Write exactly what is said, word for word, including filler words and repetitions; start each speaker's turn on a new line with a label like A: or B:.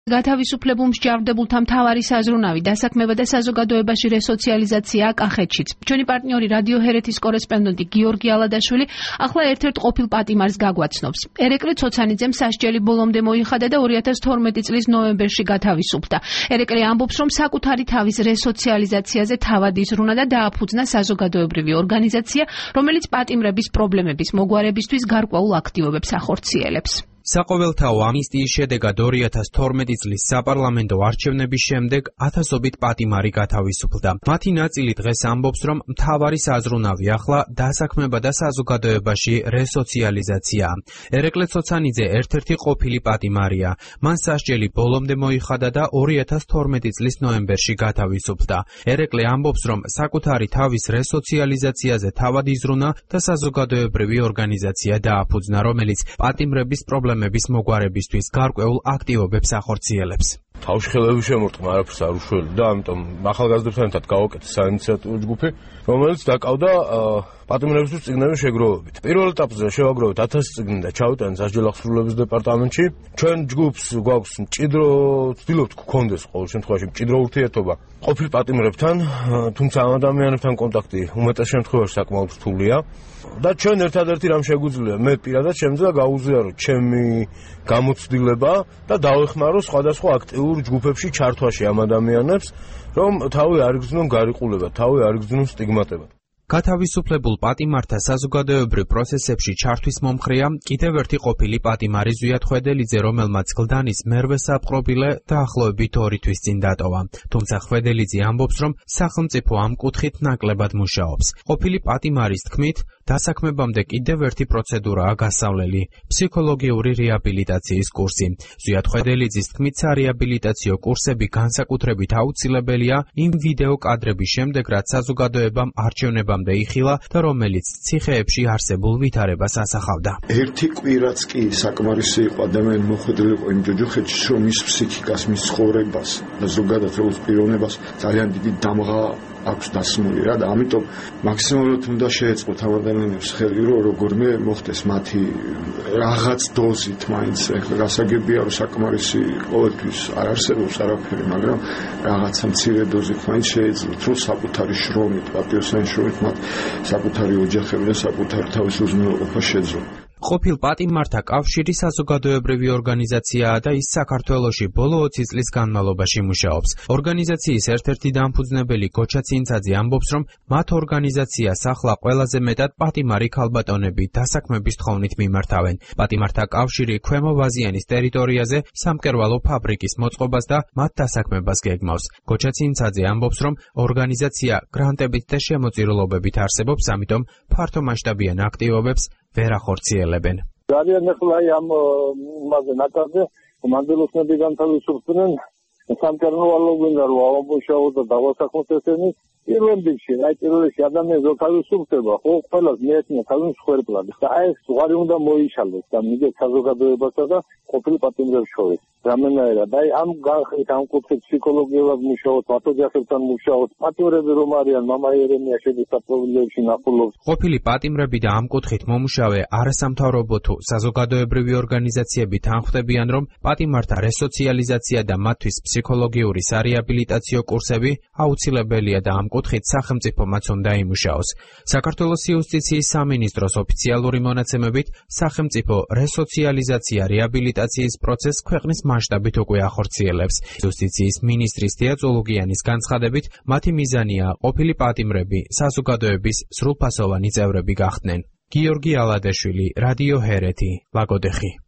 A: გათავისუფლებულ მსჯავრდებულთა მთავარი საზრუნავი დასაქმება და საზოგადოებაში რესოციალიზაცია კახეთშიც. ჩვენი პარტნიორი რადიო ჰერეთის კორესპონდენტი გიორგი ალადაშვილი ახლა ერთ-ერთ ყოფილ პატიმარს გაგვაცნობს. ერეკლე ცოცანიძემ სასჯელი ბოლომდე მოიხადა და ორი ათას თორმეტი წლის ნოემბერში გათავისუფლდა. ერეკლე ამბობს, რომ საკუთარი თავის რესოციალიზაციაზე თავად იზრუნა და დააფუძნა საზოგადოებრივი ორგანიზაცია, რომელიც პატიმრების პრობლემების მოგვარებისთვის გარკვეულ აქტივობებს ახორციელებს.
B: საყოველთაო ამნისტიის შედეგად ორი ათას თორმეტი წლის საპარლამენტო არჩევნების შემდეგ ათასობით პატიმარი გათავისუფლდა. მათი ნაწილი დღეს ამბობს, რომ მთავარი საზრუნავი ახლა დასაქმება და საზოგადოებაში რესოციალიზაციაა. ერეკლე ცოცანიძე ერთ-ერთი ყოფილი პატიმარია. მან სასჯელი ბოლომდე მოიხადა და ორი ათას თორმეტი წლის ნოემბერში გათავისუფლდა. ერეკლე ამბობს, რომ საკუთარი თავის რესოციალიზაციაზე თავად იზრუნა და საზოგადოებრივი ორგანიზაცია დააფუძნა, რომელიც პატიმრების პრობლემების მოგვარებისთვის გარკვეულ აქტივობებს ახორციელებს.
C: თავში ხელები შემორტყმა, არაფერს არ უშველდი და ამიტომ ახალგაზრდებთან ერთად გავაკეთე საინიციატივო ჯგუფი, რომელიც დაკავდა პატიმრებისთვის წიგნების შეგროვებით. პირველ ეტაპზე შევაგროვეთ ათასი წიგნი და ჩავიტანეთ სასჯელახსრულების დეპარტამენტში. ჩვენ ჯგუფს გვაქვს მჭიდრო, ვცდილობთ გქონდეს ყოველ შემთხვევაში მჭიდრო ურთიერთობა ყოფილ პატიმრებთან, თუმცა ამ ადამიანებთან კონტაქტი უმეტეს შემთხვევაში საკმაოდ რთულია. და ჩვენ ერთადერთი რამ შეგვიძლია, მე პირადად შემიძლია გაუზიარო ჩემი გამოცდილება და დავეხმარო სხვადასხვა აქტიურ ჯგუფებში ჩართვაში ამ ადამიანებს, რომ თავი არ იგრძნონ გარიყულება, თავი არ იგრძნონ სტიგმატება.
B: გათავისუფლებულ პატიმართა საზოგადოებრივ პროცესებში ჩართვის მომხრეა კიდევ ერთი ყოფილი პატიმარი ზვიად ხვედელიძე, რომელმაც გლდანის მერვე საპყრობილე დაახლოებით ორი თვის წინ დატოვა. თუმცა ხვედელიძე ამბობს, რომ სახელმწიფო ამ კუთხით ნაკლებად მუშაობს. ყოფილი პატიმარის თქმით, დასაქმებამდე კიდევ ერთი პროცედურაა გასავლელი ფსიქოლოგიური რეაბილიტაციის კურსი. ზვიად ხვედელიძის თქმით, სარეაბილიტაციო კურსები განსაკუთრებით აუცილებელია იმ ვიდეო კადრების შემდეგ, რაც საზოგადოებამ არჩევნებამდე იხილა და რომელიც ციხეებში არსებულ ვითარებას ასახავდა.
D: ერთი კვირაც კი საკმარისი იყო ადამიანი მოხვედრილი იყო იმ ჯოჯოხეთში, რომ მის ფსიქიკას, მის ცხოვრებას და ზოგადად როგორც პიროვნებას ძალიან დიდი დამღა აქვს დასმული რა და ამიტომ მაქსიმალურად უნდა შეეწყოთ ამ ადამიანებს ხელი, რომ როგორმე მოხდეს მათი რაღაც დოზით, მაინც ეხლა გასაგებია, რომ საკმარისი ყოველთვის არ არსებობს არაფერი, მაგრამ რაღაცა მცირე დოზით მაინც შეეძლოთ, რომ საკუთარი შრომით, პატიოსანი შრომით მათ საკუთარი ოჯახები და საკუთარი თავის უზრუნველყოფა შეძლონ.
B: ყოფილ პატიმართა კავშირი საზოგადოებრივი ორგანიზაციაა და ის საქართველოში ბოლო ოცი წლის განმავლობაში მუშაობს. ორგანიზაციის ერთ-ერთი დამფუძნებელი გოჩა ცინცაძე ამბობს, რომ მათ ორგანიზაციას ახლა ყველაზე მეტად პატიმარი ქალბატონები დასაქმების თხოვნით მიმართავენ. პატიმართა კავშირი ქვემო ვაზიანის ტერიტორიაზე სამკერვალო ფაბრიკის მოწყობას და მათ დასაქმებას გეგმავს. გოჩა ცინცაძე ამბობს, რომ ორგანიზაცია გრანტებით და შემოწირულობებით არსებობს, ამიტომ ფართომასშტაბიან აქტივობებს ვერ ახორციელებენ.
E: ძალიან ახლა ამ იმაზე ნაკადზე მანდილოსნები განთავისუფლდნენ სამკერვალო გვინდა რომ ამომუშავო და დავასახოთ ესენი პირველ რიგში, აი პირველ რიგში ადამიანს რო თავისუფლდება, ხო ყველას მიეცნა თავის ხერხლად და აი ეს ზღვარი უნდა მოიშალოს და მიგეთ საზოგადოებასა და ყოფილ პატიმრებს შორის. რამენაირად, აი ამ განხრით ამ კუთხით ფსიქოლოგიურად მუშაობთ, პათოჯახებთან მუშაობთ, პატიმრები რომ არიან, მამა ერემია შედის საპრობილეებში ნახულობს.
B: ყოფილი პატიმრები და ამ კუთხით მომუშავე არასამთავრობო თუ საზოგადოებრივი ორგანიზაციები თანხმდებიან, რომ პატიმართა რესოციალიზაცია და მათთვის ფსიქოლოგიური სარეაბილიტაციო კურსები აუცილებელია და ამ კუთხით სახელმწიფომაც უნდა იმუშაოს. საქართველოს იუსტიციის სამინისტროს ოფიციალური მონაცემებით სახელმწიფო რესოციალიზაცია რეაბილიტაციის პროცესს ქვეყნის მასშტაბით უკვე ახორციელებს. იუსტიციის მინისტრის თეა წოლუგიანის განცხადებით, მათი მიზანია ყოფილი პატიმრები საზოგადოების სრულფასოვანი წევრები გახდნენ. გიორგი ალადაშვილი, რადიო ჰერეთი, ლაგოდეხი.